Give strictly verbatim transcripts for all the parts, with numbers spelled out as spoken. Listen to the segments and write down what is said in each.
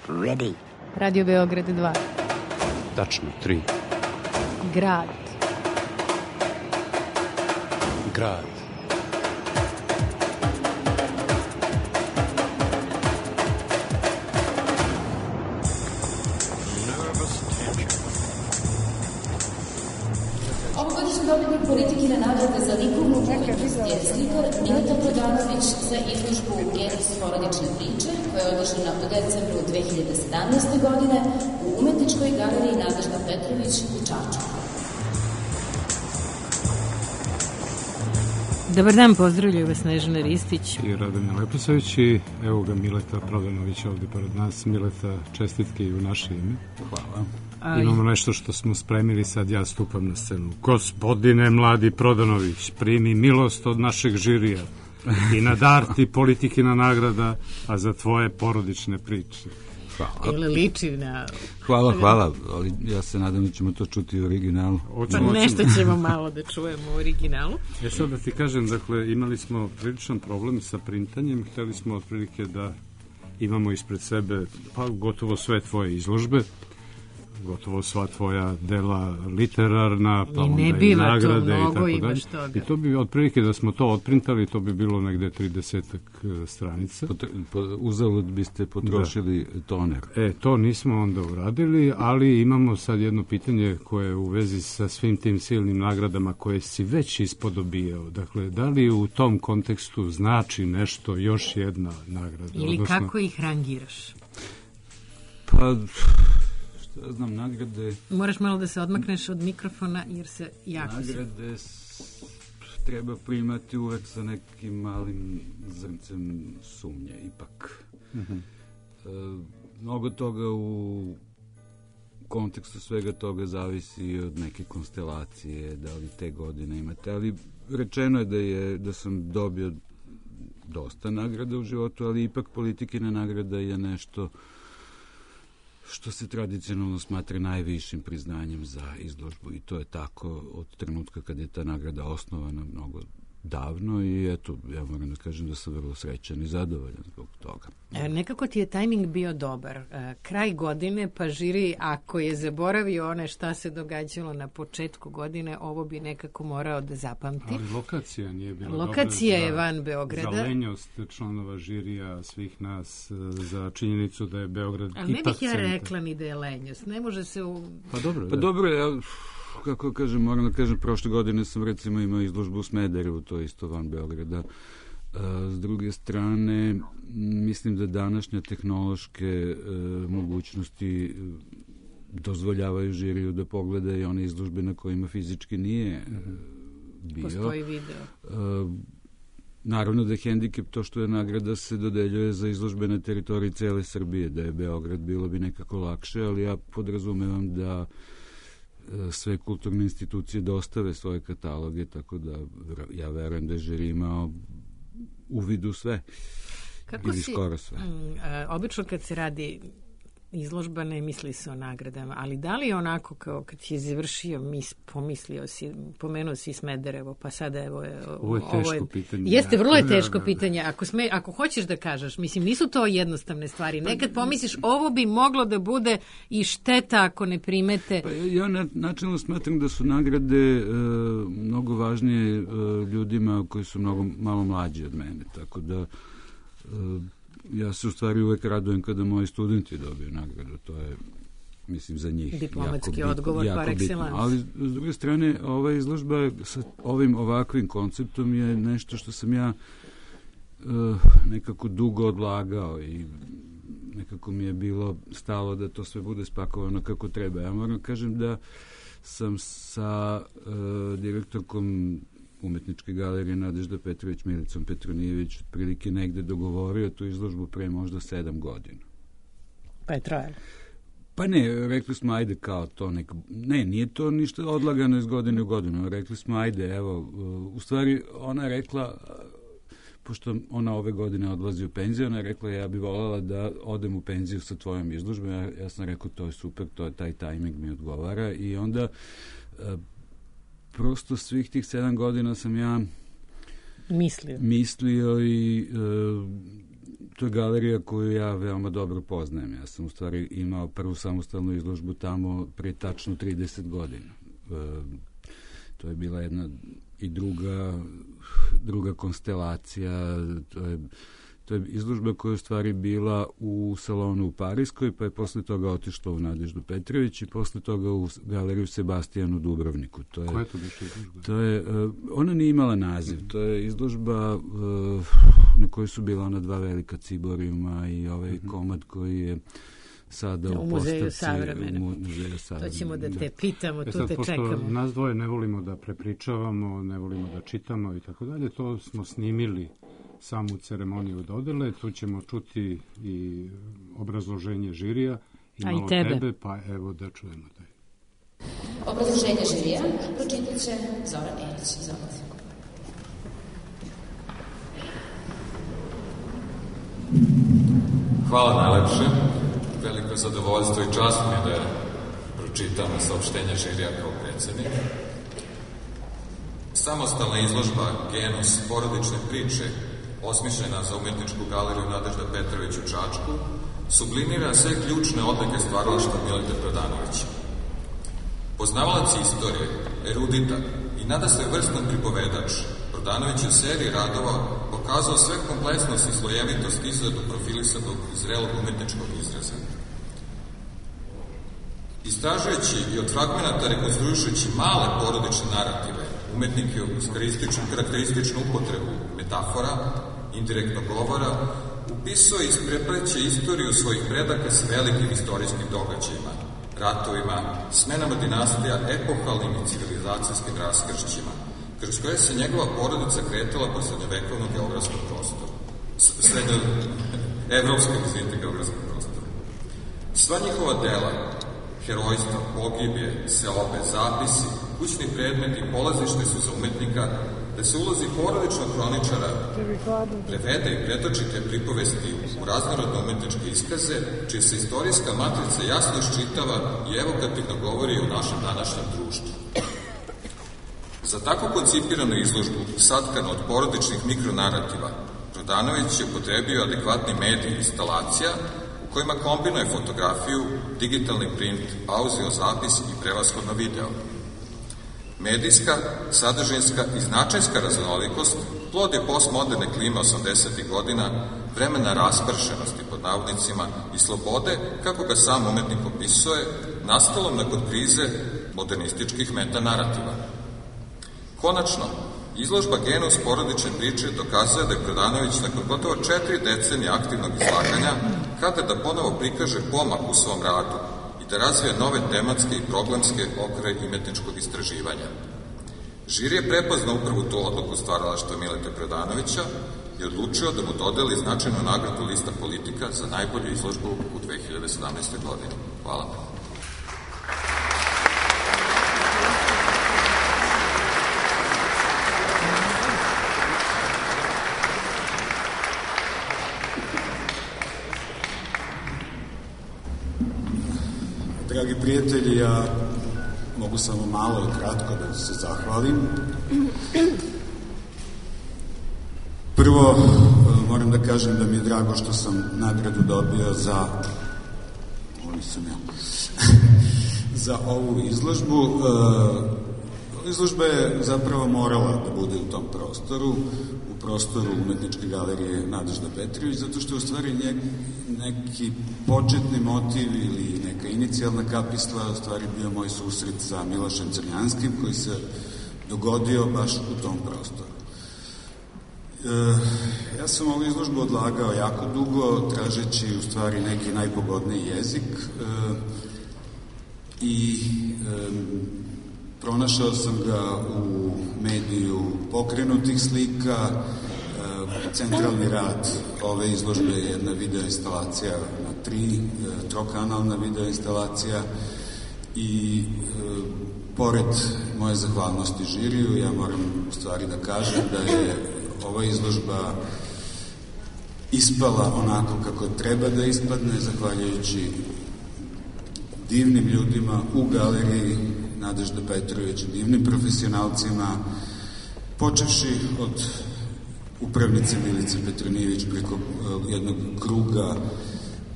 ready. Radio Beograd dva. Tačno, tri. Grad. Grad. Ovogodišnji dobitnik Politikine nagrade za likovnu umetnost je slikar Mileta Prodanović za izložbu Genus porodične priče, koja je održana u decembru dve hiljade sedamnaeste. godine u Umetničkoj galeriji Nadežda Petrović u Čačku. Dobar dan, pozdravljaju vas Snežana Ristić i Radomir Leposavić i evo ga Mileta Prodanović ovdje pored nas. Mileta, čestitke i u naše ime. Hvala. Aj. Imamo nešto što smo spremili, sad ja stupam na scenu. Gospodine mladi Prodanović, primi milost od našeg žirija i na dar ti Politikina nagrada, a za tvoje porodične priče. Hvala. Ili liči na... Hvala, hvala, ali ja se nadam da ćemo to čuti u originalu. Pa nešto ćemo malo da čujemo u originalu. Ja sad da ti kažem, dakle, imali smo priličan problem sa printanjem, hteli smo otprilike da imamo ispred sebe pa gotovo sve tvoje izložbe, gotovo sva tvoja dela literarna, pa onda i nagrade i tako dalje. I to bi otprilike da smo to otprintali, to bi bilo negde tridesetak stranica. Uzalud biste potrošili da. toner. E, to nismo onda uradili, ali imamo sad jedno pitanje koje je u vezi sa svim tim silnim nagradama koje si već ispodobijao. Dakle, da li u tom kontekstu znači nešto još jedna nagrada? Ili odnosno, kako ih rangiraš? Pa... Ja znam, nagrade... Moraš malo da se odmakneš od mikrofona jer se jako... Nagrade s... treba primati uvek sa nekim malim zrncem sumnje, ipak. Uh-huh. E, mnogo toga u kontekstu svega toga zavisi od neke konstelacije, da li te godine imate, ali rečeno je da, je, da sam dobio dosta nagrada u životu, ali ipak Politikina nagrada je nešto što se tradicionalno smatra najvišim priznanjem za izložbu i to je tako od trenutka kad je ta nagrada osnovana mnogo davno i eto, ja moram da kažem da sam vrlo srećan i zadovoljan zbog toga. E, nekako ti je tajming bio dobar. E, kraj godine, pa žiri, ako je zaboravio one šta se događalo na početku godine, ovo bi nekako morao da zapamti. Ali lokacija nije bila dobra. Lokacija za, je van Beograda. Za lenjost članova žirija, svih nas, za činjenicu da je Beograd ali ipak ne bih ja centar. rekla ni da je lenjost. Ne može se u... Pa dobro, pa dobro ja... Kako kažem, moram da kažem, prošle godine sam recimo imao izložbu u Smederevu, to je isto van Beograda. S druge strane, mislim da današnje tehnološke e, mogućnosti dozvoljavaju žiriju da pogleda i one izložbe na kojima fizički nije e, bio. Postoji video. E, naravno da je hendikep to što je nagrada se dodeljuje za izložbe na teritoriji cele Srbije, da je Beograd bilo bi nekako lakše, ali ja podrazumevam da sve kulturne institucije dostave svoje kataloge, tako da ja verujem da je žiri imao uvid u sve. Kako ili si, skoro sve. M, a, obično kad se radi izložba ne misli se o nagradama, ali da li je onako kao kad si završio mis, pomislio si, pomenuo si Smederevo, pa sada evo je... Ovo je teško ovo je, pitanje. Jeste, vrlo je teško pitanje. Ako, sme, ako hoćeš da kažeš, mislim, nisu to jednostavne stvari. Nekad pomisliš, ovo bi moglo da bude i šteta ako ne primete... Pa ja, ja načelno smatram da su nagrade e, mnogo važnije e, ljudima koji su mnogo malo mlađi od mene, tako da... E, ja se u stvari uvek radujem kada moji studenti dobiju nagradu, to je, mislim, za njih diplomatski jako odgovor jako par excellence. Ali, s druge strane, ova izložba sa ovim ovakvim konceptom je nešto što sam ja uh, nekako dugo odlagao i nekako mi je bilo stalo da to sve bude spakovano kako treba. Ja moram kažem da sam sa uh, direktorkom Umetničke galerije Nadežda Petrović, Milicom Petronijević, otprilike negde dogovorio tu izložbu pre možda sedam godina. Pa je trajalo? Pa ne, rekli smo ajde kao to neka... Ne, nije to ništa odlagano iz godine u godinu. Rekli smo ajde, evo, u stvari ona je rekla, pošto ona ove godine odlazi u penziju, ona je rekla ja bi voljela da odem u penziju sa tvojom izložbom. Ja, ja sam rekao to je super, to je taj tajming mi odgovara i onda... prosto svih tih sedam godina sam ja mislio, mislio i e, to je galerija koju ja veoma dobro poznajem. Ja sam u stvari imao prvu samostalnu izložbu tamo pre tačno trideset godina. E, to je bila jedna i druga, druga konstelacija, to je To je izložba koja je u stvari bila u salonu u Pariskoj, pa je posle toga otišla u Nadeždu Petrović i posle toga u galeriju Sebastijanu Dubrovniku. To je, koja je to biše izložba? To je, uh, ona nije imala naziv. To je izložba uh, na kojoj su bila ona dva velika ciborijuma i ovaj mm-hmm. komad koji je sada u, u muzeju postavci, savremene. U muzeju savremene. To ćemo da te pitamo, e tu sad, te pošto čekamo. Nas dvoje ne volimo da prepričavamo, ne volimo da čitamo i tako dalje, to smo snimili samu ceremoniju dodele, tu ćemo čuti i obrazloženje žirija i malo tebe. tebe, pa evo da čujemo taj. Obrazloženje žirija pročitat će Zoran Erić. Izvolite. Hvala najlepše. Veliko zadovoljstvo i čast mi da pročitam saopštenje žirija kao predsednik. Samostalna izložba Genus porodične priče, osmišljena za umetničku galeriju Nadežda Petrović u Čačku, sublimira sve ključne odlike stvaralaštva Mileta Prodanovića. Poznavalac istorije, erudita i nadasve vrstan pripovedač, Prodanović je u seriji radova pokazao sve kompleksnost i slojevitost izradu profilisanog i zrelog umetničkog izraza. Istražujući i od fragmenata rekonstruišući male porodične narative, umetnik je uz karakterističnu upotrebu metafora, indirektnog govora, upisao i isprepleće istoriju svojih predaka s velikim istorijskim događajima, ratovima, smenama dinastija, epohalnim i civilizacijskim raskršćima, kroz koje se njegova porodica kretala po srednjovekovnom geografskom prostoru. Srednjo... Evropskom, izvinite, geografskom prostoru. Sva njihova dela, herojstva, pogibje, seobe, zapisi, kućni predmeti i polazište su za umetnika da se ulozi porodičnog hroničara prevede i pretoči te pripovesti u raznorodne umetničke iskaze, čija se istorijska matrica jasno iščitava i evokativno govori o našem današnjem društvu. Za tako koncipiranu izložbu, satkanu od porodičnih mikronarativa, Prodanović je upotrebio adekvatni medij instalacija u kojima kombinuje fotografiju, digitalni print, audio zapis i prevashodno video. Medijska, sadržinska i značajska raznolikost plod je postmoderne klime osamdesetih godina, vremena raspršenosti pod navodnicima i slobode, kako ga sam umetnik opisuje, nastalom nakon krize modernističkih metanarativa. Konačno, izložba Genus porodične priče dokazuje da je Prodanović nakon gotovo četiri decenije aktivnog izlaganja kada da ponovo prikaže pomak u svom radu i da razvije nove tematske i problemske okvire umetničkog istraživanja. Žiri je prepoznao upravo tu odluku stvaralaštva Mileta Prodanovića i odlučio da mu dodeli značajnu nagradu Lista politika za najbolju izložbu u dve hiljade sedamnaestoj godini. Hvala. Dragi prijatelji, ja mogu samo malo i kratko da se zahvalim. Prvo, moram da kažem da mi je drago što sam nagradu dobio za ovo nisam ja za ovu izložbu. Izložba je zapravo morala da bude u tom prostoru, u prostoru umetničke galerije Nadežda Petrović, zato što je u stvari neki početni motiv ili neka inicijalna kapisla u stvari bio moj susret sa Milošem Crnjanskim, koji se dogodio baš u tom prostoru. E, ja sam ovu izložbu odlagao jako dugo, tražeći u stvari neki najpogodniji jezik e, i e, pronašao sam ga u mediju pokrenutih slika. Centralni rad ove izložbe je jedna videoinstalacija na tri, trokanalna videoinstalacija i e, pored moje zahvalnosti žiriju, ja moram u stvari da kažem da je ova izložba ispala onako kako treba da ispadne, zahvaljujući divnim ljudima u galeriji Nadežda Petrović, divnim profesionalcima, počevši od upravnice Milice Petronijević, preko jednog kruga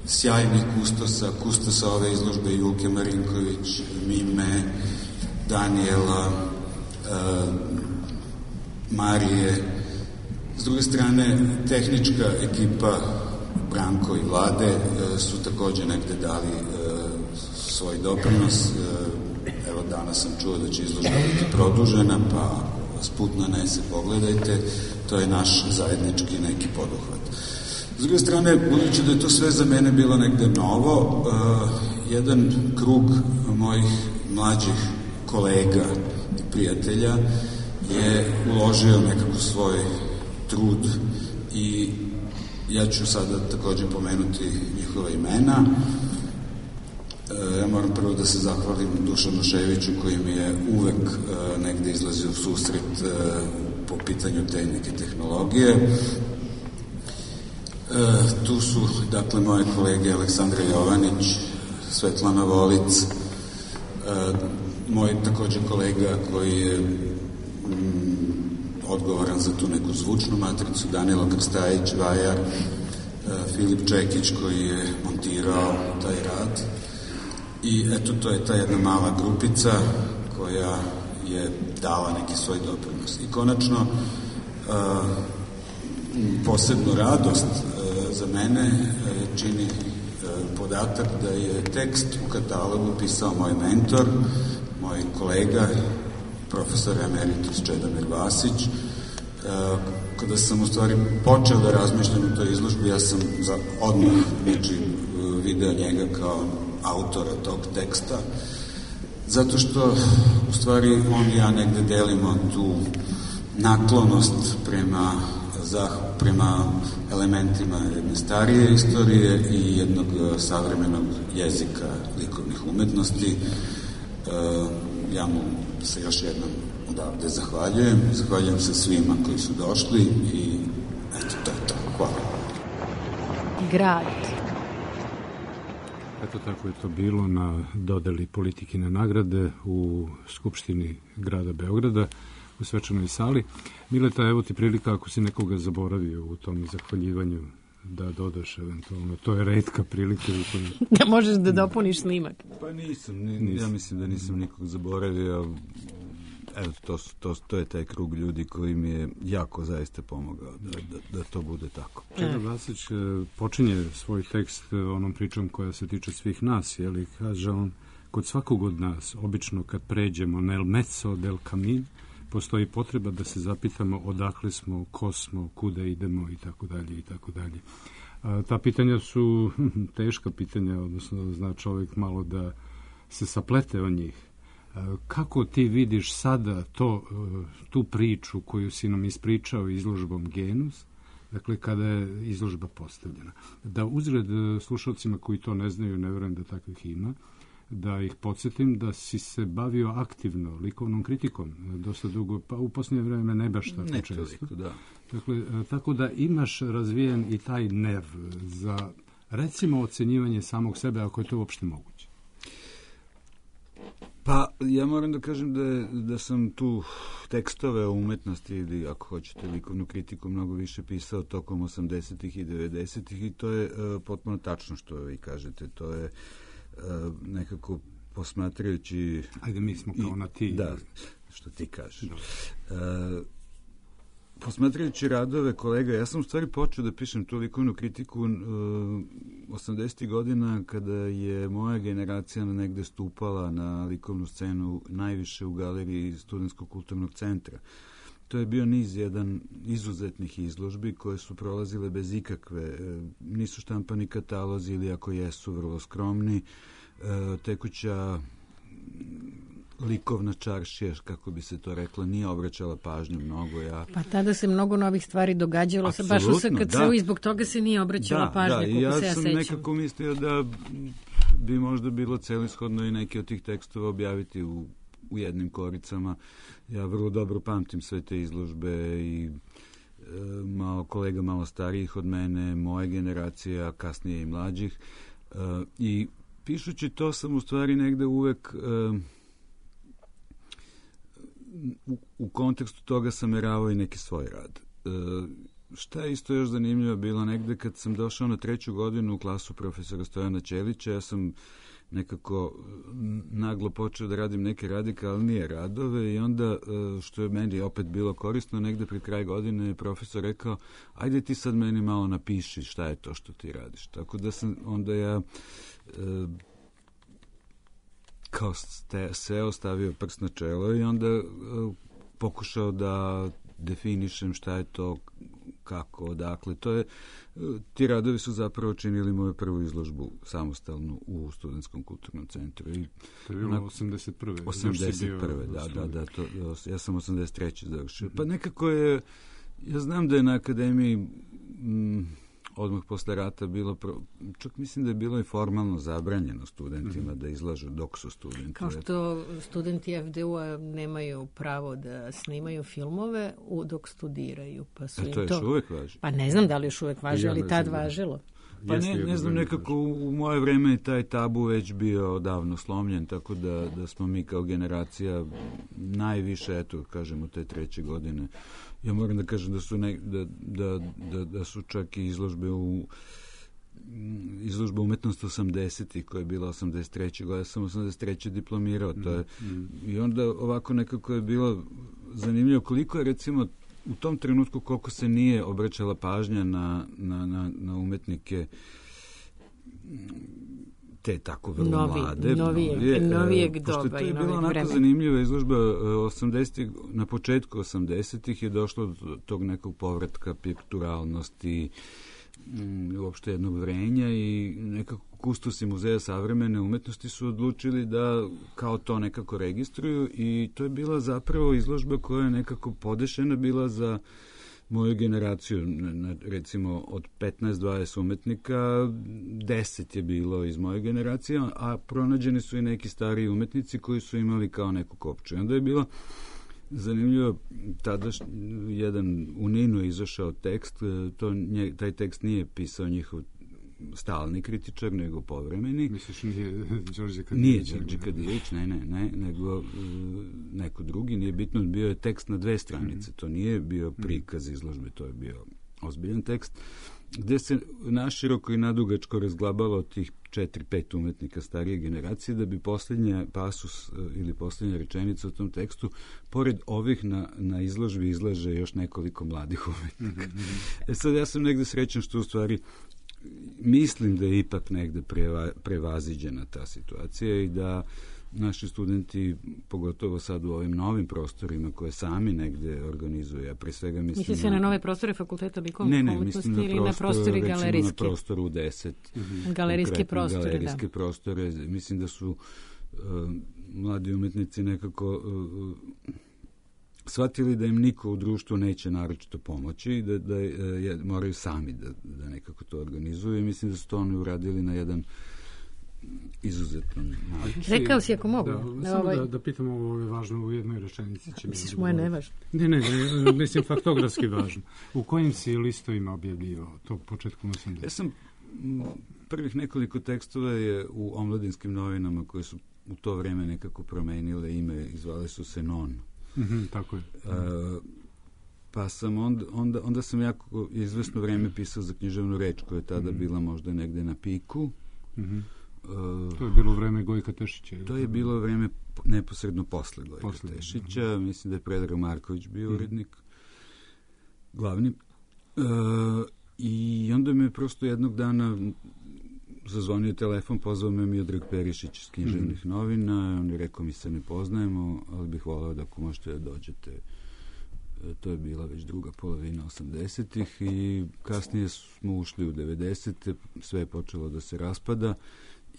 sjajnih kustosa, kustosa ove izložbe Julke Marinković, Mime, Danijela, Marije. S druge strane, tehnička ekipa Branko i Vlade su takođe negde dali svoj doprinos. Evo, danas sam čuo da će izložba biti produžena, pa ako vas put nanese, pogledajte, to je naš zajednički neki poduhvat. S druge strane, budući da je to sve za mene bilo negde novo, jedan krug mojih mlađih kolega i prijatelja je uložio nekako svoj trud i ja ću sada takođe pomenuti njihova imena. Ja moram prvo da se zahvalim Dušanu Ševiću koji mi je uvek negde izlazio u susret po pitanju te neke tehnologije. Tu su, dakle, moje kolege Aleksandra Jovanić, Svetlana Volic, moj takođe kolega koji je odgovoran za tu neku zvučnu matricu, Danilo Krstajić, vajar, Filip Čekić koji je montirao taj rad. I eto, to je ta jedna mala grupica koja je dala neki svoj doprinos. I konačno, posebnu radost za mene čini podatak da je tekst u katalogu pisao moj mentor, moj kolega, profesor emeritus Čedomir Vasić. Kada sam u stvari počeo da razmišljam u toj izložbi, ja sam za odmah znači, video njega kao autora tog teksta, zato što u stvari on i ja negde delimo tu naklonost prema, prema elementima jedne starije istorije i jednog savremenog jezika likovnih umetnosti. Ja mu se još jednom odavde zahvaljujem. Zahvaljujem se svima koji su došli i eto, to je to. Hvala. Grad. Eto, tako je to bilo na dodeli politikine nagrade u Skupštini grada Beograda u svečanoj sali. Mileta, evo ti prilika ako si nekoga zaboravio u tom zahvaljivanju da dodaš eventualno. To je retka prilika. Da možeš da dopuniš snimak. Pa nisam, nisam. Ja mislim da nisam nikog zaboravio. Evo, to, to, to je taj krug ljudi koji mi je jako zaista pomogao da, da, da to bude tako. Čedo Vasić počinje svoj tekst onom pričom koja se tiče svih nas, je li, kaže on, kod svakog od nas, obično kad pređemo nel mezzo del camin, postoji potreba da se zapitamo odakle smo, ko smo, kuda idemo i tako dalje i tako dalje. Ta pitanja su teška pitanja, odnosno zna čovjek malo da se saplete o njih. Kako ti vidiš sada to, tu priču koju si nam ispričao izložbom Genus, dakle kada je izložba postavljena? Da uzred slušalcima koji to ne znaju, ne verujem da takvih ima, da ih podsjetim da si se bavio aktivno likovnom kritikom dosta dugo, pa u posljednje vreme ne baš tako ne često. Toliko, da. Dakle, tako da imaš razvijen i taj nerv za, recimo, ocenjivanje samog sebe, ako je to uopšte moguće. Pa, ja moram da kažem da, da sam tu tekstove o umetnosti ili, ako hoćete, likovnu kritiku mnogo više pisao tokom osamdesetih i devedesetih i to je uh, potpuno tačno što vi kažete. To je uh, nekako posmatrajući... Ajde, mi smo kao i, na ti. Da, što ti kažeš. Uh, posmatrajući radove kolega, ja sam u stvari počeo da pišem tu likovnu kritiku uh, osamdesetih godina kada je moja generacija negde stupala na likovnu scenu najviše u galeriji Studentskog kulturnog centra. To je bio niz jedan izuzetnih izložbi koje su prolazile bez ikakve, nisu štampani katalozi ili ako jesu vrlo skromni, uh, tekuća likovna čaršija, kako bi se to rekla, nije obraćala pažnju mnogo. Ja... Pa tada se mnogo novih stvari događalo, se baš u S K C-u i zbog toga se nije obraćala da, pažnja, da, koliko ja se ja sećam. sećam. Ja sam nekako mislio da bi možda bilo celishodno i neki od tih tekstova objaviti u, u jednim koricama. Ja vrlo dobro pamtim sve te izložbe i e, malo kolega malo starijih od mene, moje generacije, a kasnije i mlađih. E, I pišući to sam u stvari negde uvek... E, U, u kontekstu toga sam meravao i neki svoj rad. E, šta je isto još zanimljivo bilo, negde kad sam došao na treću godinu u klasu profesora Stojana Ćelića, ja sam nekako naglo počeo da radim neke radikalnije radove i onda, što je meni opet bilo korisno, negde pri kraj godine je profesor rekao, ajde ti sad meni malo napiši šta je to što ti radiš. Tako da sam onda ja e, kao ste, seo, stavio prst na čelo i onda e, pokušao da definišem šta je to, kako, odakle. To je, ti radovi su zapravo činili moju prvu izložbu samostalnu u Studentskom kulturnom centru. I to je bilo osamdeset prve osamdeset prve da, da, da. To, ja sam osamdeset treće završio. Pa nekako je, ja znam da je na akademiji m, odmah posle rata bilo, pro, čak mislim da je bilo i formalno zabranjeno studentima mm-hmm. da izlažu dok su studenti. Kao što studenti F D U-a nemaju pravo da snimaju filmove u, dok studiraju. Pa su e, to još to, uvek važi? Pa ne znam da li još uvek važi, ali tad važilo. Pa ne, ne znam, nekako u, u moje vreme je taj tabu već bio davno slomljen, tako da, da smo mi kao generacija najviše, eto, kažemo, te treće godine. Ja moram da kažem da su, ne, da, da, da, da su čak i izložbe u izložba umetnost osamdesetih koja je bila osamdeset treće godine, ja sam osamdeset treće diplomirao. To je, mm. I onda ovako nekako je bilo zanimljivo koliko je recimo u tom trenutku koliko se nije obraćala pažnja na, na, na, na umetnike te tako vrlo Novi, mlade. Novijeg, novije, novijeg doba pošto to je i bila novijeg onako vremena. zanimljiva izložba osamdesetih, na početku osamdesetih je došlo do tog nekog povratka pikturalnosti, uopšte jednog vrenja i nekako kustosi Muzeja savremene umetnosti su odlučili da kao to nekako registruju i to je bila zapravo izložba koja je nekako podešena bila za moju generaciju. Recimo od petnaest dvadeset umetnika deset je bilo iz moje generacije, a pronađeni su i neki stariji umetnici koji su imali kao neku kopču. I onda je bilo zanimljivo, tada jedan u Ninu je izašao tekst, to, nje, taj tekst nije pisao njihov stalni kritičar, nego povremeni. Misliš, nije Đorđe Kadijević? Nije Đorđe Kadijević, ne, ne, ne, nego uh, neko drugi, nije bitno, bio je tekst na dve stranice, mm-hmm. to nije bio prikaz izložbe, to je bio ozbiljan tekst, gde se naširoko i nadugačko razglabava od tih četiri pet umetnika starije generacije, da bi posljednja pasus ili posljednja rečenica u tom tekstu, pored ovih na, na izložbi izlaže još nekoliko mladih umetnika. Mm-hmm. E sad, ja sam negde srećan što u stvari mislim da je ipak negde preva, prevaziđena ta situacija i da naši studenti, pogotovo sad u ovim novim prostorima koje sami negde organizuju, a pre svega mislim... Misli se na nove prostore fakulteta likovne ne, umetnosti ne, ili na prostori galerijske? Na prostoru deset. Mm-hmm. Galerijske prostore, galerijske da. prostore. Mislim da su uh, mladi umetnici nekako uh, shvatili da im niko u društvu neće naročito pomoći i da, da je, moraju sami da, da nekako to organizuju i mislim da su to oni uradili na jedan izuzetno način. Rekao si ako mogu. Da, da, ovaj... da, da pitamo ovo je važno u jednoj rečenici. Će Misliš moje nevažno? Ne, ne, ne, mislim faktografski važno. U kojim si listovima objavio to početkom osamdesetih? Ja sam prvih nekoliko tekstova je u omladinskim novinama koje su u to vreme nekako promenile ime i zvale su se Non. Mm-hmm, tako je. Uh, pa sam onda, onda, onda sam jako izvesno vreme pisao za književnu reč koja je tada mm-hmm. bila možda negde na piku. Mm-hmm. Uh, to je bilo vreme Gojka Tešića. To je bilo vreme neposredno posle Gojka posle, Tešića. Mm-hmm. Mislim da je Predrag Marković bio mm-hmm. urednik glavni. Uh, I onda me prosto jednog dana zazvonio telefon, pozvao me Miodrag Perišić iz književnih mm-hmm. novina, on je rekao mi se ne poznajemo, ali bih volao da ako možete da dođete. E, to je bila već druga polovina osamdesetih i kasnije smo ušli u devedesete, sve je počelo da se raspada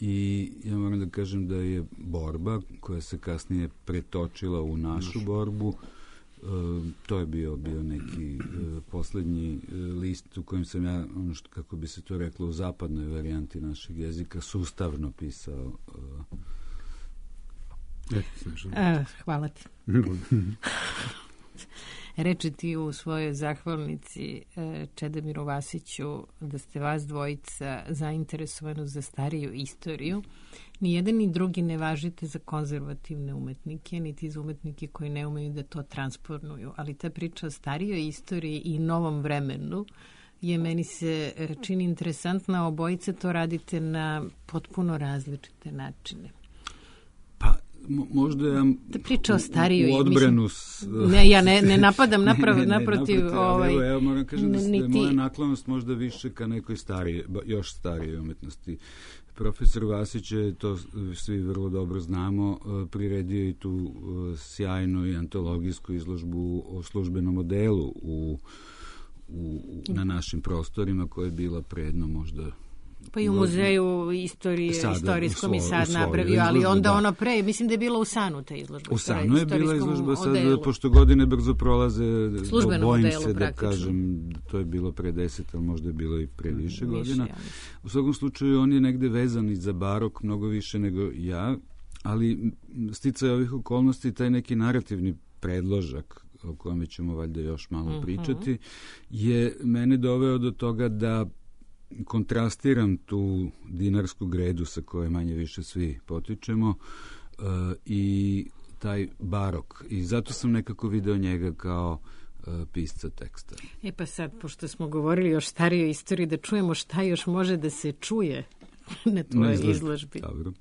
i ja moram da kažem da je borba koja se kasnije pretočila u našu borbu. Uh, to je bio bio neki uh, poslednji uh, list u kojem sam ja, ono što, kako bi se to reklo u zapadnoj varijanti našeg jezika, sustavno pisao. Uh. E, hvala ti. reče ti u svojoj zahvalnici Čedomiru Vasiću da ste vas dvojica zainteresovani za stariju istoriju. Ni jedan ni drugi ne važite za konzervativne umetnike, niti za umetnike koji ne umeju da to transponuju. Ali ta priča o starijoj istoriji i novom vremenu je meni se čini interesantna. Obojice to radite na potpuno različite načine. Pa, možda ja ta priča o starijoj, u odbranu s... ne, ja ne, ne napadam naprav, ne, ne, ne, naprotiv, naprotiv ovaj, evo, evo moram kažem da, niti... da je moja naklonost možda više ka nekoj starije, još starije umetnosti. Profesor Vasić je, to svi vrlo dobro znamo, priredio i tu sjajnu i antologijsku izložbu o službenom modelu u, u, na našim prostorima, koja je bila predno možda... Pa i u muzeju istorije, sada, istorijskom i sad svoj, napravio, ali izložbu, onda da. ono pre, mislim da je bila u Sanu ta izložba. U Sanu je bila izložba, sad, odelu. Pošto godine brzo prolaze, službenom bojim modelu, se da praktično. kažem, to je bilo pre deset, ali možda je bilo i pre više, više godina. Ja u svakom slučaju, on je negde vezan i za barok mnogo više nego ja, ali sticaj ovih okolnosti, taj neki narativni predložak, o kojem ćemo valjda još malo mm-hmm. pričati, je mene doveo do toga da kontrastiram tu dinarsku gredu sa koje manje više svi potičemo uh, i taj barok. I zato sam nekako video njega kao uh, pisca teksta. E pa sad, pošto smo govorili o starijoj istoriji, da čujemo šta još može da se čuje na tvojoj izložbi. izložbi. Dobro.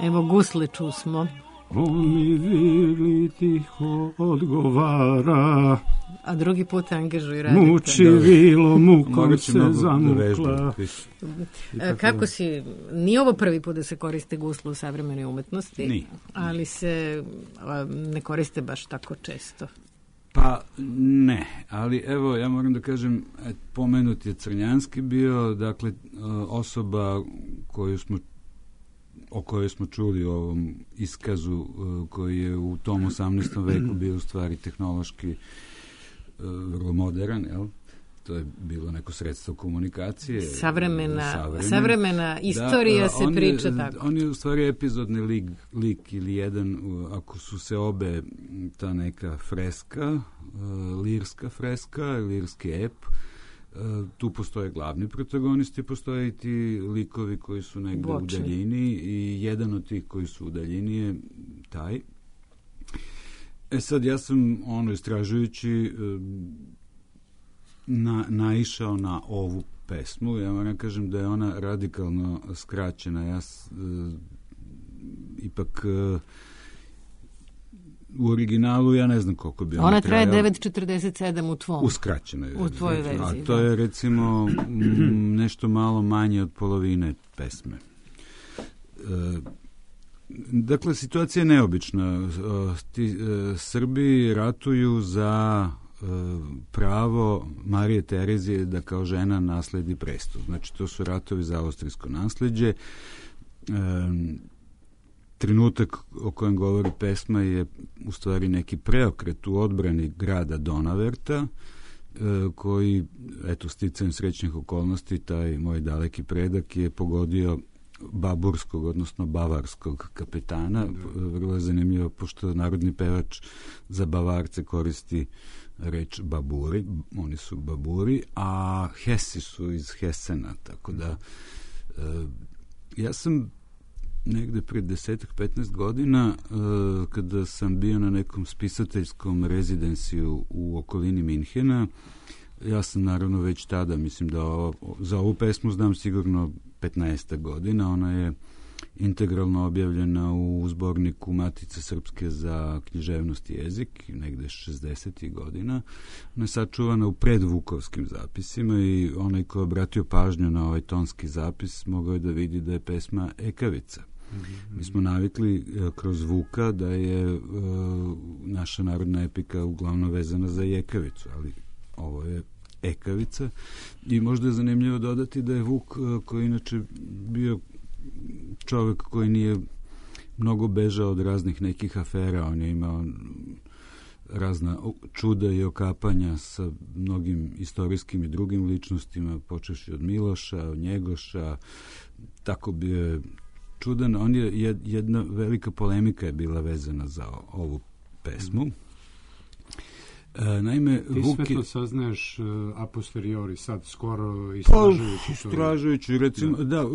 Evo gusle čusmo. On mi vili tiho odgovara. A drugi put angažuj radite. Muči vilo, mukom se zamukla. Da Kako si, nije ovo prvi put da se koriste gusle u savremenoj umetnosti, Ni. ali se a, ne koriste baš tako često. Pa ne, ali evo ja moram da kažem, pomenut je Crnjanski bio, dakle osoba koju smo o kojoj smo čuli u ovom iskazu koji je u tom osamnaestom veku bio u stvari tehnološki vrlo modern, jel? to je bilo neko sredstvo komunikacije. Savremena, savremena, savremena istorija da, se priča je, tako. On je u stvari epizodni lik, lik ili jedan, ako su se obe ta neka freska, lirska freska, lirski ep, tu postoje glavni protagonisti, postoje i ti likovi koji su negde Bočni. u daljini i jedan od tih koji su u daljini je taj. E sad, ja sam ono istražujući na, naišao na ovu pesmu. Ja moram kažem da je ona radikalno skraćena. Ja s, e, ipak e, u originalu ja ne znam koliko bi ona, ona traje devet četrdeset sedam u tvom. U skraćenoj u tvojoj verziji. A to je recimo m, nešto malo manje od polovine pesme. E, dakle, situacija je neobična. Ti, e, Srbi ratuju za e, pravo Marije Terezije da kao žena nasledi presto. Znači, to su ratovi za austrijsko nasleđe. E, trenutak o kojem govori pesma je u stvari neki preokret u odbrani grada Donaverta, e, koji, eto, sticajem srećnih okolnosti, taj moj daleki predak je pogodio baburskog, odnosno bavarskog kapetana. Vrlo je zanimljivo, pošto narodni pevač za Bavarce koristi reč baburi, oni su baburi, a Hesi su iz Hesena, tako da e, ja sam negde pred desetak, petnaest godina, e, kada sam bio na nekom spisateljskom rezidenciju u okolini Minhena, ja sam naravno već tada, mislim da ovo, za ovu pesmu znam sigurno petnaest godina, ona je integralno objavljena u zborniku Matice Srpske za književnost i jezik, negde šezdesetih godina. Ona je sačuvana u predvukovskim zapisima i onaj ko je obratio pažnju na ovaj tonski zapis mogao je da vidi da je pesma Ekavica. Mi smo navikli e, kroz Vuka da je e, naša narodna epika uglavnom vezana za Jekavicu, ali ovo je Ekavica i možda je zanimljivo dodati da je Vuk, koji inače bio čovek koji nije mnogo bežao od raznih nekih afera, on je imao razna čuda i okapanja sa mnogim istorijskim i drugim ličnostima, počevši od Miloša, od Njegoša, tako bi je čudan. On je, jedna velika polemika je bila vezana za ovu pesmu. E, naime, ti Vuk sve to je, saznaješ uh, a posteriori, sad skoro istražujući. Pa, istražujući, recimo, da. da,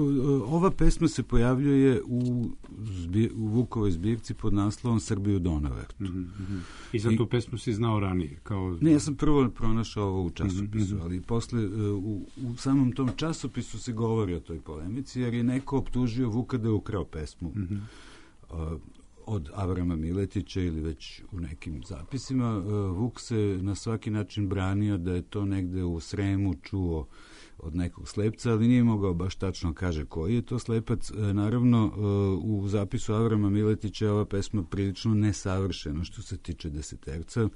ova pesma se pojavljuje u, zbir, u Vukovoj zbirci pod naslovom Srbiju Donavertu. Mm-hmm. I za tu I, pesmu si znao ranije? Kao... Ne, ja sam prvo pronašao ovo u časopisu, mm-hmm. ali posle u, u samom tom časopisu se govori o toj polemici, jer je neko optužio Vuka da je ukrao pesmu. Mm-hmm. Uh, od Avrama Miletića ili već u nekim zapisima. Vuk se na svaki način branio da je to negde u Sremu čuo od nekog slepca, ali nije mogao baš tačno kaže koji je to slepac. Naravno, u zapisu Avrama Miletića ova pesma prilično nesavršena što se tiče deseterca.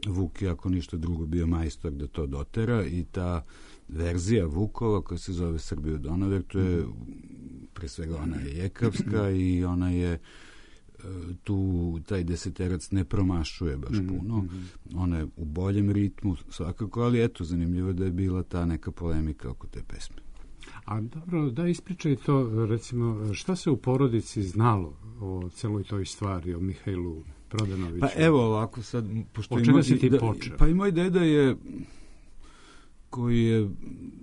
Vuk je, ako ništa drugo, bio majstor da to dotera i ta verzija Vukova koja se zove Srbiju Donavertu je, pre svega, ona je jekavska i ona je tu taj deseterac ne promašuje baš puno. Mm-hmm. Ona je u boljem ritmu svakako, ali eto, zanimljivo da je bila ta neka polemika oko te pesme. A dobro, da ispričaj to, recimo, šta se u porodici znalo o celoj toj stvari, o Mihajlu Prodanoviću? Pa evo ovako sad... Pošto o čega si ti da, počeo? Pa i moj deda je, koji je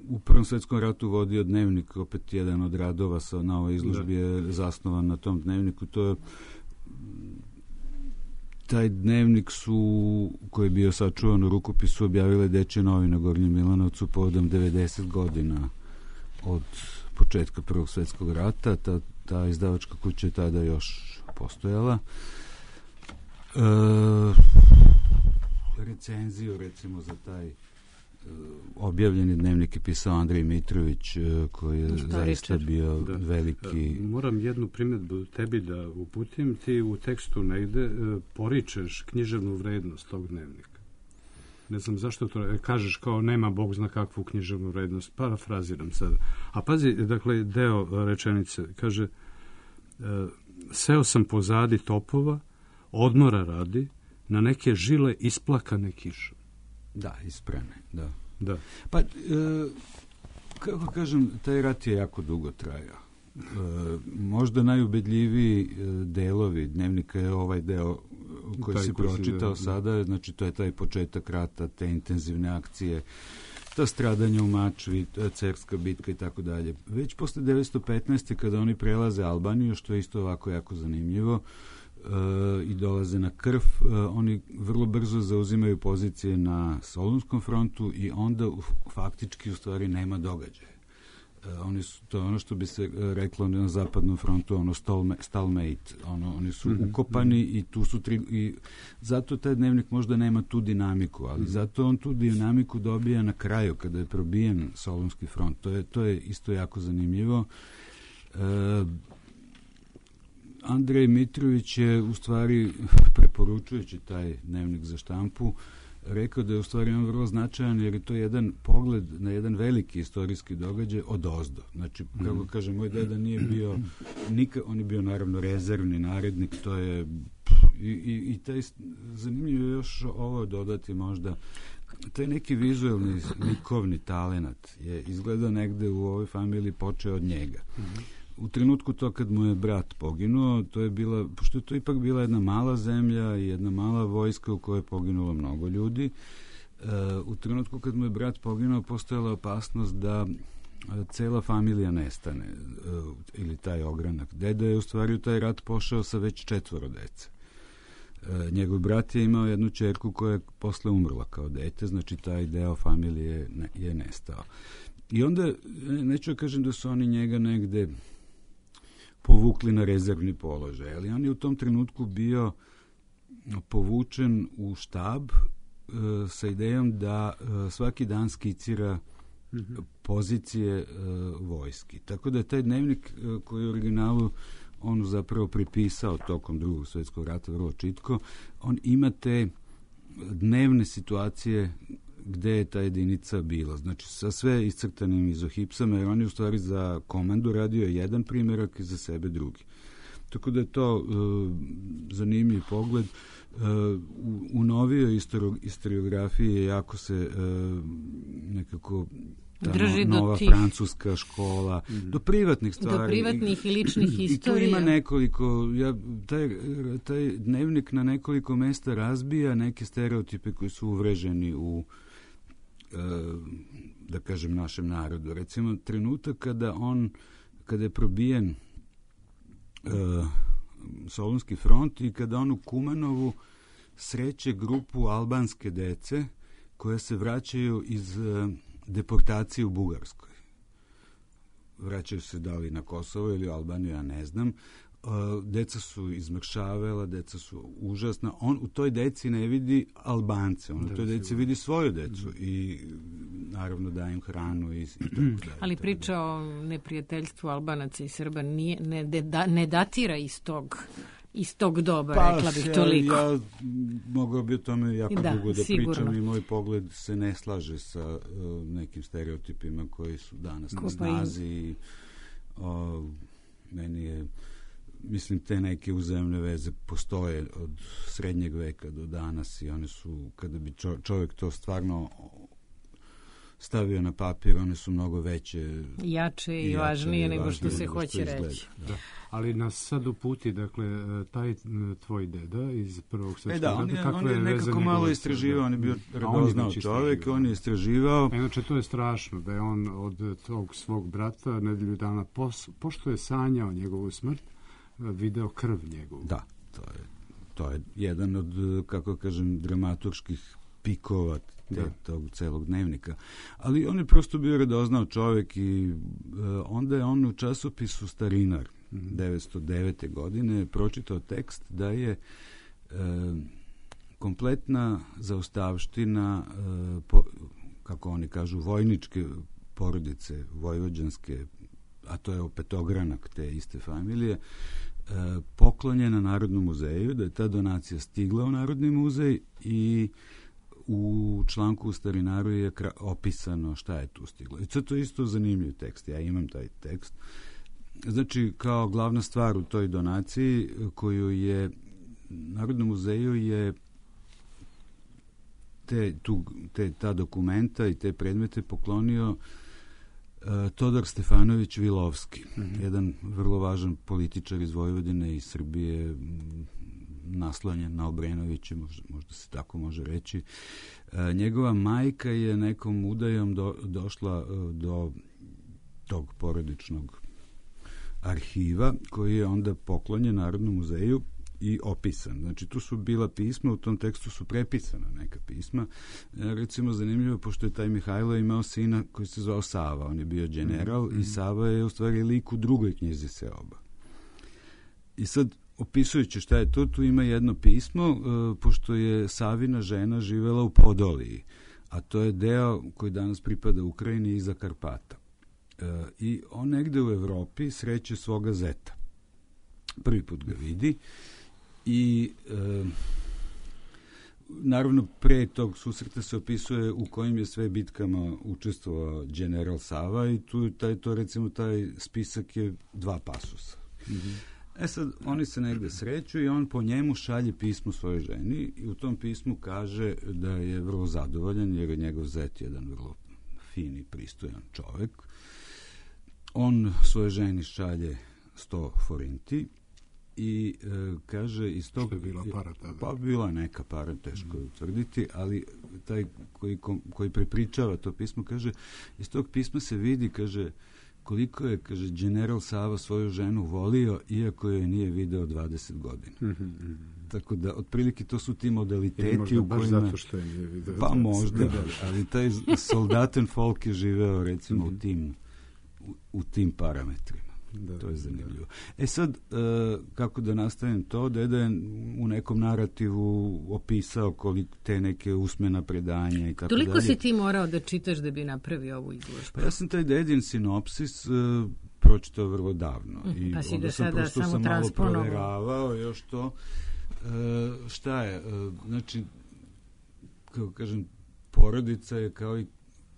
u Prvom svetskom ratu vodio dnevnik, opet jedan od radova sa, na ovoj izložbi da. je zasnovan na tom dnevniku, to je taj dnevnik su, koji je bio sačuvan u rukopisu, objavile Dečje novine u Gornjem Milanovcu povodom devedeset godina od početka Prvog svjetskog rata. Ta, ta izdavačka kuća je tada još postojala. E, recenziju, recimo, za taj objavljeni dnevnik je pisao Andrej Mitrović, koji je Šta zaista Richard? bio da. veliki... Moram jednu primjedbu tebi da uputim. Ti u tekstu negde poričeš književnu vrednost tog dnevnika. Ne znam zašto to kažeš, kao nema Bog zna kakvu književnu vrednost. Parafraziram sad. A pazi, dakle, deo rečenice kaže: seo sam pozadi topova, odmora radi, na neke žile isplakane kišom. Da, isprene, da. Da. Pa, e, kako kažem, taj rat je jako dugo trajao. E, možda najubedljiviji delovi dnevnika je ovaj deo koji taj si pročitao da, sada, znači to je taj početak rata, te intenzivne akcije, ta stradanja u Mačvi, Cerska bitka i tako dalje. Već posle devetsto petnaeste. kada oni prelaze Albaniju, što je isto ovako jako zanimljivo, uh, i dolaze na Krf, uh, oni vrlo brzo zauzimaju pozicije na Solunskom frontu i onda uh, faktički u stvari nema događaja. Uh, oni su, to je ono što bi se uh, reklo na zapadnom frontu, ono stalemate, ono, oni su mm-hmm. ukopani i tu su tri, i zato taj dnevnik možda nema tu dinamiku, ali mm-hmm. zato on tu dinamiku dobija na kraju kada je probijen Solunski front. To je, to je isto jako zanimljivo. Uh, Andrej Mitrović je u stvari, preporučujući taj dnevnik za štampu, rekao da je u stvari on vrlo značajan jer je to jedan pogled na jedan veliki istorijski događaj odozdo. Znači, kako kaže, moj deda nije bio nikad, on je bio naravno rezervni narednik, to je i, i, i taj zanimljivo je još ovo dodati možda, taj neki vizuelni likovni talenat je izgleda negde u ovoj familiji počeo od njega. U trenutku to kad mu je brat poginuo, to je bila, pošto je to ipak bila jedna mala zemlja i jedna mala vojska u kojoj je poginulo mnogo ljudi, uh, u trenutku kad mu je brat poginuo, postojala opasnost da uh, cela familija nestane, uh, ili taj ogranak. Deda je u stvari u taj rat pošao sa već četvoro dece. Uh, njegov brat je imao jednu ćerku koja je posle umrla kao dete, znači taj deo familije ne, je nestao. I onda, neću da kažem da su oni njega negde povukli na rezervni položaj, ali on je u tom trenutku bio povučen u štab e, sa idejom da e, svaki dan skicira mm-hmm. pozicije e, vojski. Tako da je taj dnevnik e, koji je u originalu on zapravo pripisao tokom drugog svjetskog rata vrlo čitko, on ima te dnevne situacije gde je ta jedinica bila. Znači, sa sve iscrtanim izohipsama, jer on je u stvari za komandu radio jedan primjerak i za sebe drugi. Tako da je to uh, zanimljiv pogled. Uh, u, u novijoj historiografiji jako se uh, nekako ta drži no, nova do tih, francuska škola, mm. do privatnih stvari. Do privatnih i ličnih i, istorija. I tu ima nekoliko, ja, taj, taj dnevnik na nekoliko mesta razbija neke stereotipe koji su uvreženi u da kažem našem narodu. Recimo, trenutak kada on, kada je probijen uh, Solunski front i kada on u Kumanovu sreće grupu albanske dece koje se vraćaju iz uh, deportacije u Bugarskoj. Vraćaju se da li na Kosovo ili u Albaniju, ja ne znam. Uh, deca su izmršavela, deca su užasna. On u toj deci ne vidi Albance, on u toj deci vidi svoju decu mm. i naravno daje im hranu i, i tako dalje. Ali priča o neprijateljstvu Albanaca i Srba nije, ne, da, ne datira iz tog, iz tog doba, pa, rekla bih toliko. Ja, ja mogao bi o tome jako da, dugo da sigurno. pričam i moj pogled se ne slaže sa uh, nekim stereotipima koji su danas na snazi i uh, meni je mislim, te neke uzajamne veze postoje od srednjeg veka do danas i one su, kada bi čovjek to stvarno stavio na papir, one su mnogo veće, jače i, i važnije nego što se hoće reći. Da. Ali nas sad uputi, dakle, taj tvoj deda iz prvog svjetskog rata, e da, on je, on je nekako malo istraživao, on je bio radoznao čovjek, on je istraživao. A inače, to je strašno, da je on od tog svog brata nedelju dana, pos, pošto je sanjao njegovu smrt, video krv njegovu. Da, to je, to je jedan od, kako kažem, dramaturških pikova te, tog celog dnevnika. Ali on je prosto bio radoznao čovjek i uh, onda je on u časopisu Starinar mm-hmm. devetsto devete. godine pročitao tekst da je uh, kompletna zaustavština, uh, po, kako oni kažu, vojničke porodice, vojvođanske, a to je opetogranak te iste familije, poklonjena Narodnom muzeju, da je ta donacija stigla u Narodni muzej i u članku u Starinaru je opisano šta je tu stiglo. I to je isto zanimljiv tekst, ja imam taj tekst. Znači, kao glavna stvar u toj donaciji koju je Narodnom muzeju je te, tu, te, ta dokumenta i te predmete poklonio uh, Todor Stefanović Vilovski, mm-hmm. jedan vrlo važan političar iz Vojvodine i Srbije, m, naslonjen na Obrenovića, možda, možda se tako može reći. Uh, njegova majka je nekom udajom do, došla uh, do tog porodičnog arhiva, koji je onda poklonjen Narodnom muzeju i opisan. Znači, tu su bila pisma, u tom tekstu su prepisana neka pisma. E, recimo, zanimljivo, pošto je taj Mihajlo imao sina koji se zvao Sava, on je bio general mm-hmm. i Sava je u stvari lik u drugoj knjizi Seoba. I sad, opisujući šta je to, tu ima jedno pismo, e, pošto je Savina žena živela u Podoliji, a to je deo koji danas pripada Ukrajini iza Karpata. E, I on negde u Evropi sreće svoga zeta. Prvi put ga vidi i e, naravno pre tog susreta se opisuje u kojim je sve bitkama učestvovao general Sava i tu taj, to recimo taj spisak je dva pasusa. Mm-hmm. E sad, oni se negde sreću i on po njemu šalje pismo svojoj ženi i u tom pismu kaže da je vrlo zadovoljan jer je njegov zet jedan vrlo fini, pristojan čovek. On svoje ženi šalje sto forinti i e, kaže iz tog... Što je bila para tada? Pa bila neka para, teško je utvrditi, ali taj koji, koji prepričava to pismo kaže, iz tog pisma se vidi, kaže, koliko je, kaže, general Sava svoju ženu volio, iako je nije video dvadeset godina. Mm-hmm. Tako da, otprilike, to su ti modaliteti u kojima... Baš zato što je nije video. Pa možda, ali taj soldaten folk je živeo, recimo, mm-hmm. u tim u, u tim parametrima. Da, to je zanimljivo. Da. E sad, uh, kako da nastavim to, deda je u nekom narativu opisao koliko te neke usmena predanja i tako dalje. Toliko si ti morao da čitaš da bi napravio ovu izložbu? Pa ja sam taj dedin sinopsis uh, pročitao vrlo davno. Mm, I pa si onda ga sam sada prosto samo sam malo transponovao. proveravao još to. Uh, šta je? Uh, znači, kako kažem, porodica je kao i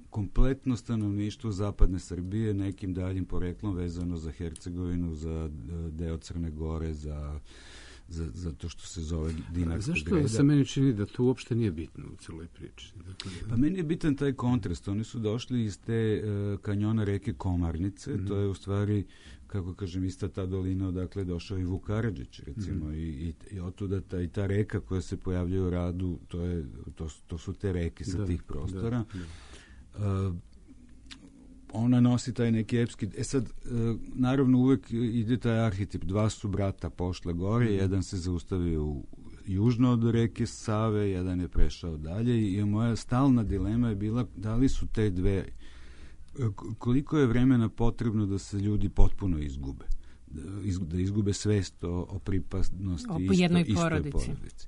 kompletno stanovništvo zapadne Srbije nekim daljim poreklom vezano za Hercegovinu, za deo Crne Gore, za, za, za to što se zove Dinarska Zašto greda. Zašto se meni čini da to uopšte nije bitno u celoj priči? Dakle, pa meni je bitan taj kontrast. Oni su došli iz te uh, kanjona reke Komarnice, mm-hmm. to je u stvari, kako kažem, ista ta dolina odakle je došao i Vuk Karadžić, recimo, mm-hmm. i, i, i otuda ta, i ta reka koja se pojavljuje u Radu, to, je, to, to su te reke sa da, tih prostora. Da, da. Uh, ona nosi taj neki epski... E sad, uh, naravno uvek ide taj arhetip. Dva su brata pošle gore, mm. jedan se zaustavio u, južno od reke Save, jedan je prešao dalje i moja stalna dilema je bila da li su te dve... Koliko je vremena potrebno da se ljudi potpuno izgube? Da izgube svest o, o pripasnosti o isto, jednoj istoj porodici. porodici.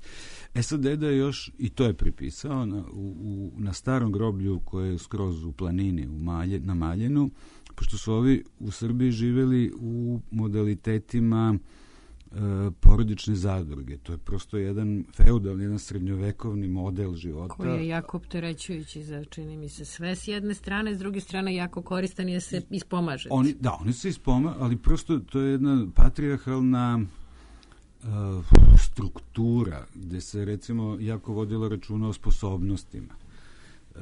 E sad, deda je još, i to je pripisao, na, u, u, na starom groblju koje je skroz u planini, u Malje, na Maljenu, pošto su ovi u Srbiji živeli u modalitetima e, porodične zadruge. To je prosto jedan feudalni, jedan srednjovekovni model života. Koji je jako opterećujući za, čini mi se, sve s jedne strane, s druge strane jako koristan je se ispomaže. Oni, da, oni se ispomažu, ali prosto to je jedna patrijarhalna uh, struktura gde se, recimo, jako vodilo računa o sposobnostima.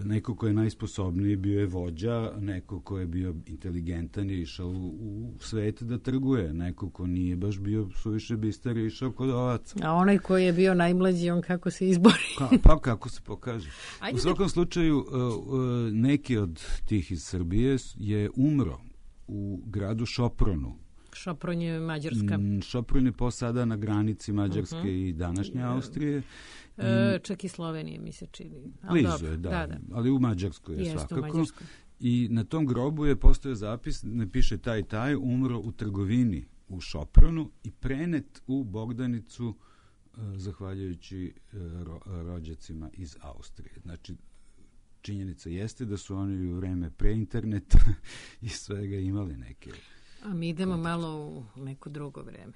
Neko ko je najsposobniji bio je vođa, neko ko je bio inteligentan je išao u, u svet da trguje, neko ko nije baš bio suviše bistar je išao kod ovaca. A onaj koji je bio najmlađi, on kako se izbori? Ka, pa kako se pokaže. Ajde u svakom da... slučaju, uh, uh, neki od tih iz Srbije je umro u gradu Šopronu. Šopron je Mađarska. Mm, Šopron je posada na granici Mađarske uh-huh. i današnje Austrije. E, čak i Slovenije mi se čini. Ali blizu je, da, da, da. Ali u Mađarskoj je Jeste, svakako. u Mađarskoj. I na tom grobu je postojao zapis, ne piše taj taj, umro u trgovini u Šopronu i prenet u Bogdanicu uh, zahvaljujući uh, ro, rođacima iz Austrije. Znači, činjenica jeste da su oni u vreme pre interneta i svega imali neke... A mi idemo kontakte. Malo u neko drugo vreme.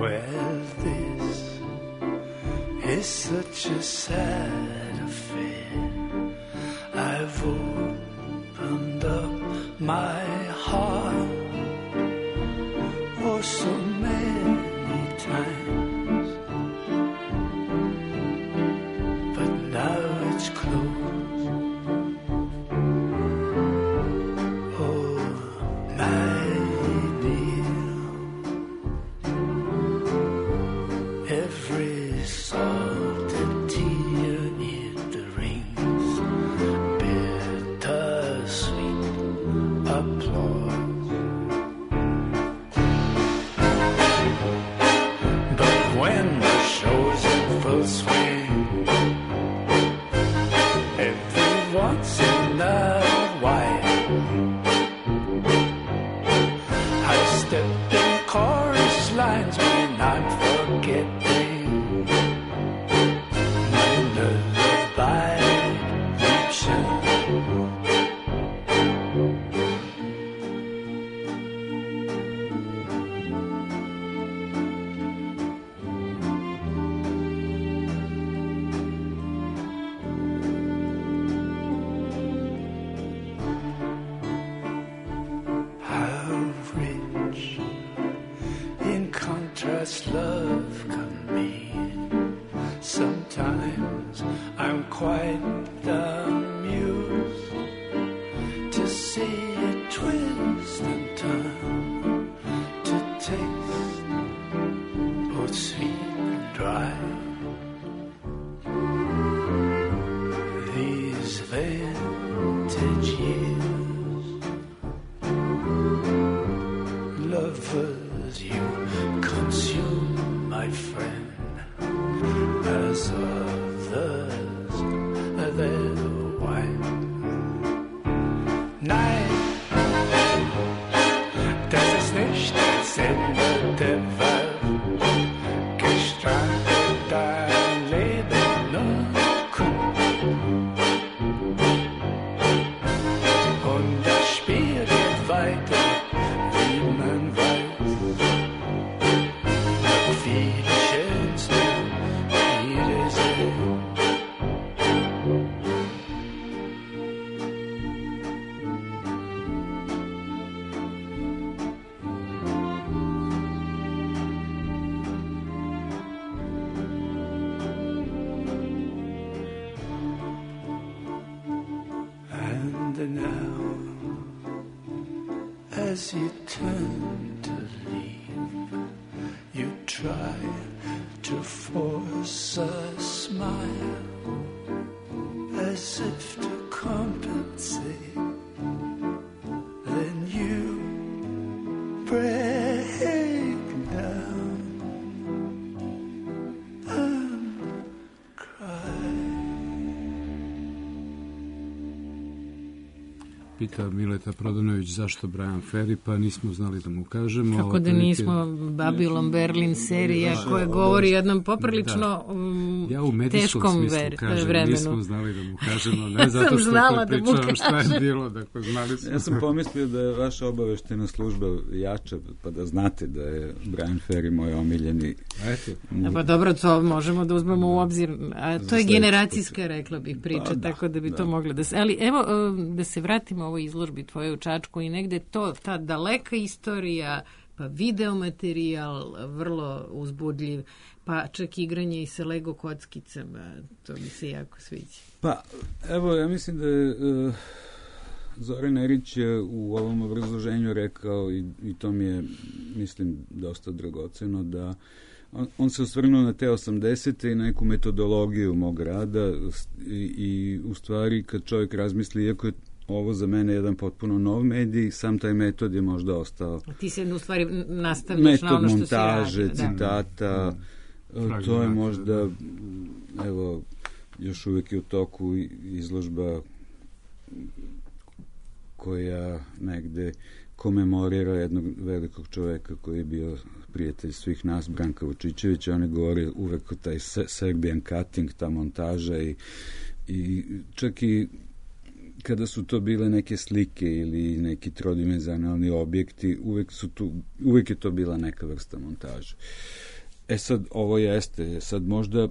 Well, this is such a sad affair. I've opened up my heart oh so many times, but now it's closed. Oh, my dear, every salted tear it rings bittersweet applause. But when the show's in full swing, every once in a while I step in chorus lines when I'm forgetting my lullaby redemption. How rich in contrast love can be. Sometimes I'm quite amused to see it twist and turn, to taste both sweet and dry. These vintage years, lovers, you consume, my friend, as others their wine. Nein, das ist nicht dasselbe, der Welt gestrandet dein Leben nur kurz. Und das Spiel geht weiter, wie man weiß. Noch viele schönste Wiedersehen. And now, as you turn to leave, you try to force a smile, as if to compensate. Then you break down and cry. Pita Mileta Prodanović zašto Brian Ferry, pa nismo znali da mu kažemo. Kako da nismo, Babylon Berlin serija koja govori o jednom poprilično um, ja u medijskom teškom smislu ver, kažem, vremenu. Nismo znali da mu kažemo, ne zato što to pričamo šta je bilo, dakle znali smo. Ja sam pomislio da je vaša obaveštena služba jača, pa da znate da je Brian Ferry moj omiljeni. Eto. A pa dobro, to možemo da uzmemo u obzir, a to je generacijska, rekla bih, priča, pa, da, tako da bi da. to moglo da se... Ali evo, da se vratimo ovoj izložbi tvoje u Čačku i negde to, ta daleka istorija, pa videomaterijal vrlo uzbudljiv, pa čak igranje i sa Lego kockicama, to mi se jako sviđa. Pa, evo, ja mislim da je uh, Zoran Erić je u ovom obrazloženju rekao i, i to mi je, mislim, dosta dragoceno, da on, on se osvrnuo na te osamdesete i neku metodologiju mog rada i, i u stvari kad čovjek razmisli, iako je ovo za mene jedan potpuno nov medij, sam taj metod je možda ostao. A ti se u stvari nastavljaš na ono što si radio. Metod montaže, citata, da. To je možda, evo, još uvijek je u toku izložba koja negde komemorira jednog velikog čoveka koji je bio prijatelj svih nas, Branka Vučićevića. On je govorio uvek o taj Serbian cutting, ta montaža i, i čak i kada su to bile neke slike ili neki trodimenzionalni objekti, uvek, su tu, uvek je to bila neka vrsta montaže. E sad, ovo jeste, sad možda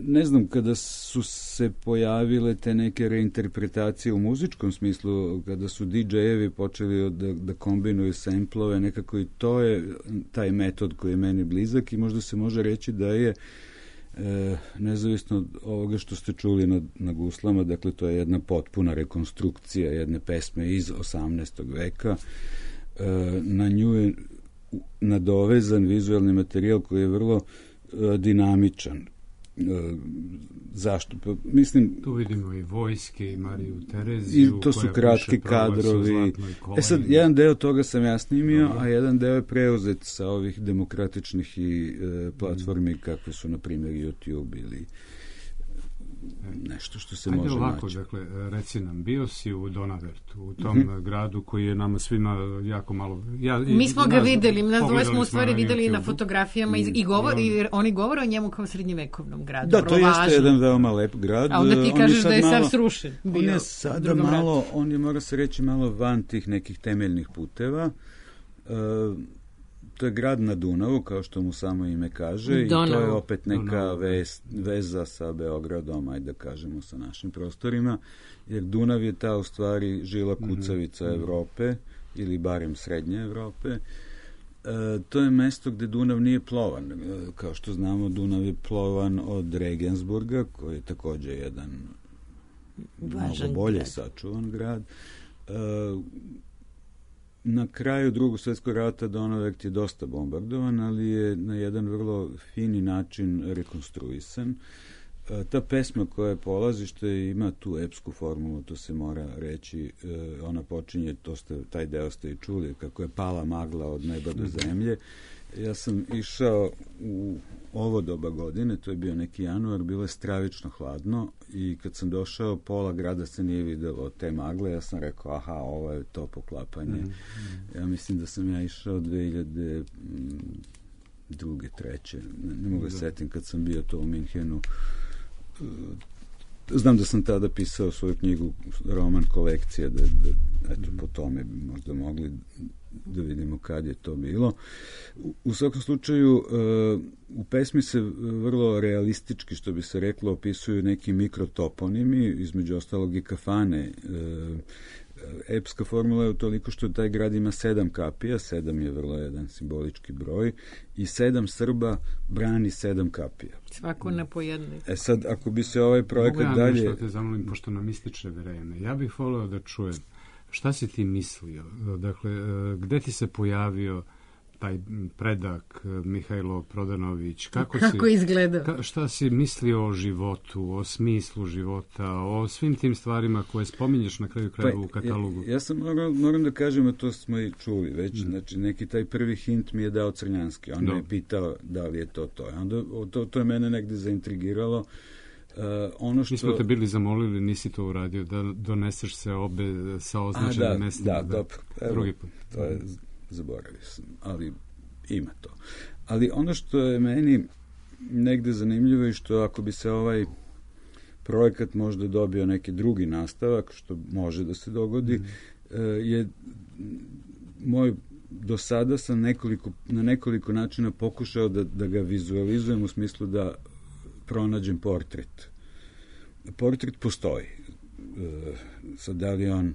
ne znam, kada su se pojavile te neke reinterpretacije u muzičkom smislu, kada su di džejevi počeli da, da kombinuju samplove, nekako i to je taj metod koji je meni blizak i možda se može reći da je e, nezavisno od ovoga što ste čuli na, na guslama, dakle to je jedna potpuna rekonstrukcija jedne pesme iz osamnaestog veka, e, na nju je nadovezan vizualni materijal koji je vrlo e, dinamičan. Zašto? Pa, mislim, tu vidimo i vojske i Mariju Tereziju. I to su kratki kadrovi. E sad, jedan deo toga sam ja snimio, a jedan deo je preuzet sa ovih demokratičnih i e, platformi mm. kakve su, na primjer, YouTube ili nešto što se Ajde može ovako, naći. Dakle, reci nam, bio si u Donavertu, u tom mm-hmm. gradu koji je nama svima jako malo... Ja, Mi smo i, ga nas, videli, nas dvoje smo u stvari na videli YouTube. na fotografijama i, i, govor, i, on, i oni govore o njemu kao srednjevekovnom gradu. Da, to važno. Jeste jedan veoma lep grad. A onda ti on kažeš da je malo, sad srušen. Bio, on je sada malo, on je, mora se reći, malo van tih nekih temeljnih puteva. Uh, To je grad na Dunavu, kao što mu samo ime kaže, Donav. I to je opet neka vez, veza sa Beogradom, ajde da kažemo, sa našim prostorima, jer Dunav je ta u stvari žila kucavica mm-hmm. Evrope, ili barem srednje Evrope. E, to je mesto gde Dunav nije plovan. E, kao što znamo, Dunav je plovan od Regensburga, koji je takođe jedan Važan mnogo bolje grad. sačuvan grad. E, Na kraju Drugog svjetskog rata Donavert je dosta bombardovan, ali je na jedan vrlo fini način rekonstruisan. E, ta pesma koja je polazište ima tu epsku formulu, to se mora reći. E, ona počinje, to ste, taj deo ste i čuli, kako je pala magla od neba do zemlje. Ja sam išao u ovo doba godine, to je bio neki januar, bilo je stravično hladno i kad sam došao, pola grada se nije videlo te magle, ja sam rekao, aha, ovo je to poklapanje. Mm, mm. Ja mislim da sam ja išao dve hiljade druge, treće, ne, ne mogu da setim kad sam bio to u Minhenu. Znam da sam tada pisao svoju knjigu, roman Kolekcija, da, da eto, po tome bi možda mogli da vidimo kad je to bilo. U, u svakom slučaju, uh, u pesmi se vrlo realistički, što bi se reklo, opisuju neki mikrotoponimi, između ostalog i kafane. Uh, epska formula je toliko što taj grad ima sedam kapija, sedam je vrlo jedan simbolički broj, i sedam Srba brani sedam kapija. Svako na po jednoj. E sad, ako bi se ovaj projekat Mogu ja dalje... Mogu ja te zamolim, pošto nam ističe vreme. Ja bih voleo da čujem šta si ti mislio? Dakle, gde ti se pojavio taj predak Mihajlo Prodanović? Kako, Kako si, izgleda? Ka, šta si mislio o životu, o smislu života, o svim tim stvarima koje spominješ na kraju krajeva pa, u katalogu? Ja, ja sam moram, moram da kažem, a to smo i čuli već, mm. znači neki taj prvi hint mi je dao Crnjanski. On Do. me je pitao da li je to to. Onda, to, to je mene negde zaintrigiralo. Uh, ono što... Mi smo te bili zamolili, nisi to uradio, da doneseš se obe sa označenim da, mestima. Da, da, dobro. Evo, drugi put. To je, zaboravio sam, ali ima to. Ali ono što je meni negde zanimljivo je što ako bi se ovaj projekat možda dobio neki drugi nastavak, što može da se dogodi, mm. je moj do sada sam nekoliko, na nekoliko načina pokušao da, da ga vizualizujem u smislu da pronađem portret. Portret postoji. E, sad, da li on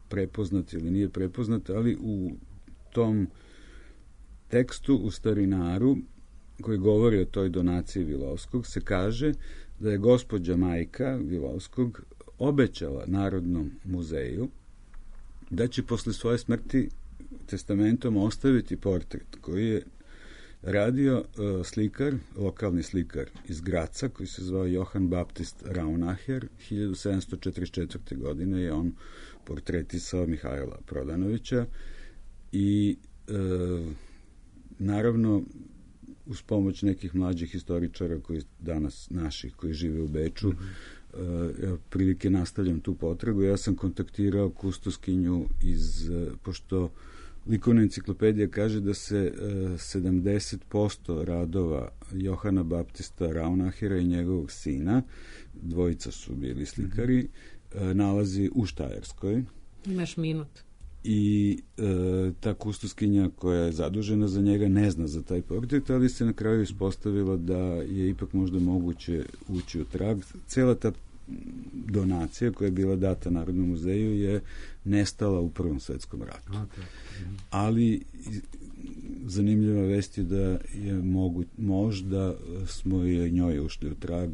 prepoznat ili nije prepoznat, ali u tom tekstu u Starinaru, koji govori o toj donaciji Vilovskog, se kaže da je gospođa majka Vilovskog obećala Narodnom muzeju da će posle svoje smrti testamentom ostaviti portret koji je radio uh, slikar, lokalni slikar iz Graca, koji se zvao Johann Baptist Raunacher. hiljadu sedamsto četrdeset četvrte. godine je on portretisao Mihajla Prodanovića i uh, naravno uz pomoć nekih mlađih historičara koji danas naših, koji žive u Beču, mm-hmm. uh, ja prilike nastavljam tu potragu. Ja sam kontaktirao kustoskinju iz, uh, pošto likovna enciklopedija kaže da se uh, sedamdeset posto radova Johana Baptista Raunachera i njegovog sina, dvojica su bili slikari, mm-hmm. uh, nalazi u Štajerskoj. Imaš minut. i e, ta kustoskinja koja je zadužena za njega ne zna za taj portret, ali se na kraju ispostavilo da je ipak možda moguće ući u trag. Cela ta donacija koja je bila data Narodnom muzeju je nestala u Prvom svetskom ratu. Okay. Ali zanimljiva vest je da je mogu, možda smo i njoj ušli u trag,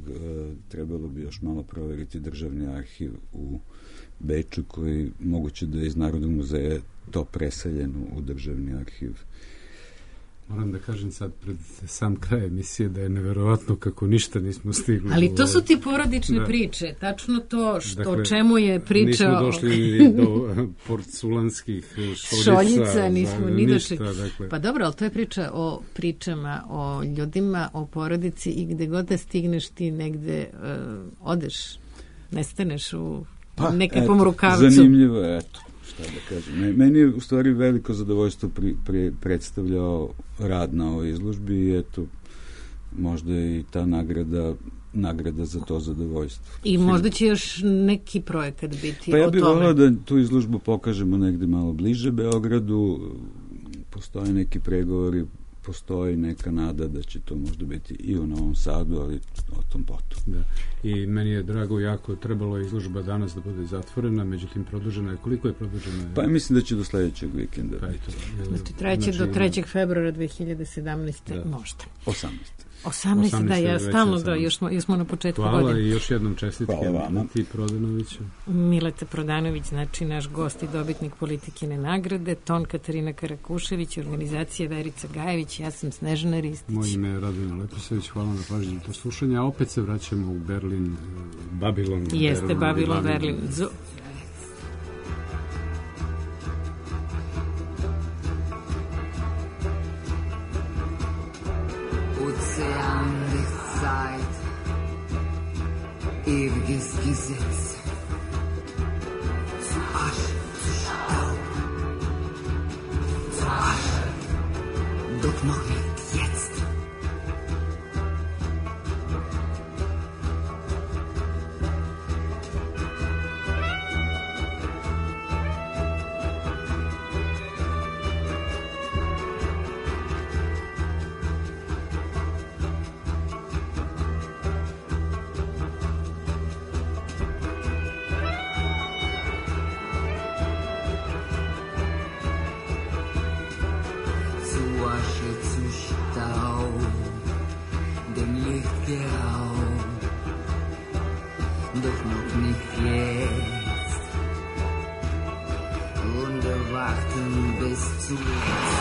trebalo bi još malo proveriti državni arhiv u Beču, koji moguće da je iz Narodnog muzeja to preseljeno u državni arhiv. Moram da kažem sad pred sam kraj emisije da je neverovatno kako ništa nismo stigli. Ali to su ti porodične da. priče, tačno to što dakle, o čemu je priča. Nismo došli do porculanskih šoljica, šoljica nismo ni ništa, došli. Dakle. Pa dobro, ali to je priča o pričama, o ljudima, o porodici i gde god da stigneš ti negde uh, odeš, nestaneš u pa, nekakvom rukavcu. Zanimljivo je, eto. Šta da kažem. Meni je u stvari veliko zadovoljstvo pri, pri, predstavljao rad na ovoj izložbi i eto, možda i ta nagrada nagrada za to zadovoljstvo. I možda će još neki projekat biti pa ja o bih tome. volao da tu izložbu pokažemo negde malo bliže Beogradu. Postoje neki pregovori, postoji neka nada da će to možda biti i u Novom Sadu, ali o tom potom. Da. I meni je drago jako, trebalo je izložba danas da bude zatvorena, međutim produžena je. Koliko je produžena? Pa mislim da će do sledećeg vikenda. Pa eto, znači treće do trećeg februara dve hiljade sedamnaeste Da. možda. osamnaeste osamnaeste da, ja stalno da, još smo, još smo na početku Hvala godine. I još jednom čestitke Mileti Prodanoviću. Mileta Prodanović, znači naš gost i dobitnik Politikine nagrade, ton Katarina Karakušević, organizacija Verica Gajević, ja sam Snežana Ristić. Moje ime je Radovina Leposević, hvala na pažnju i poslušanje, a opet se vraćamo u Berlin, Babilon. Jeste, Berlin, Babilon, Berlin. Berlin. Ozean des Zeit, ewiges Gesetz, zu Asche, zu Staub, zu Asche, doch noch nicht jetzt. Doch noch nicht jetzt. Und erwarten bis zuletzt.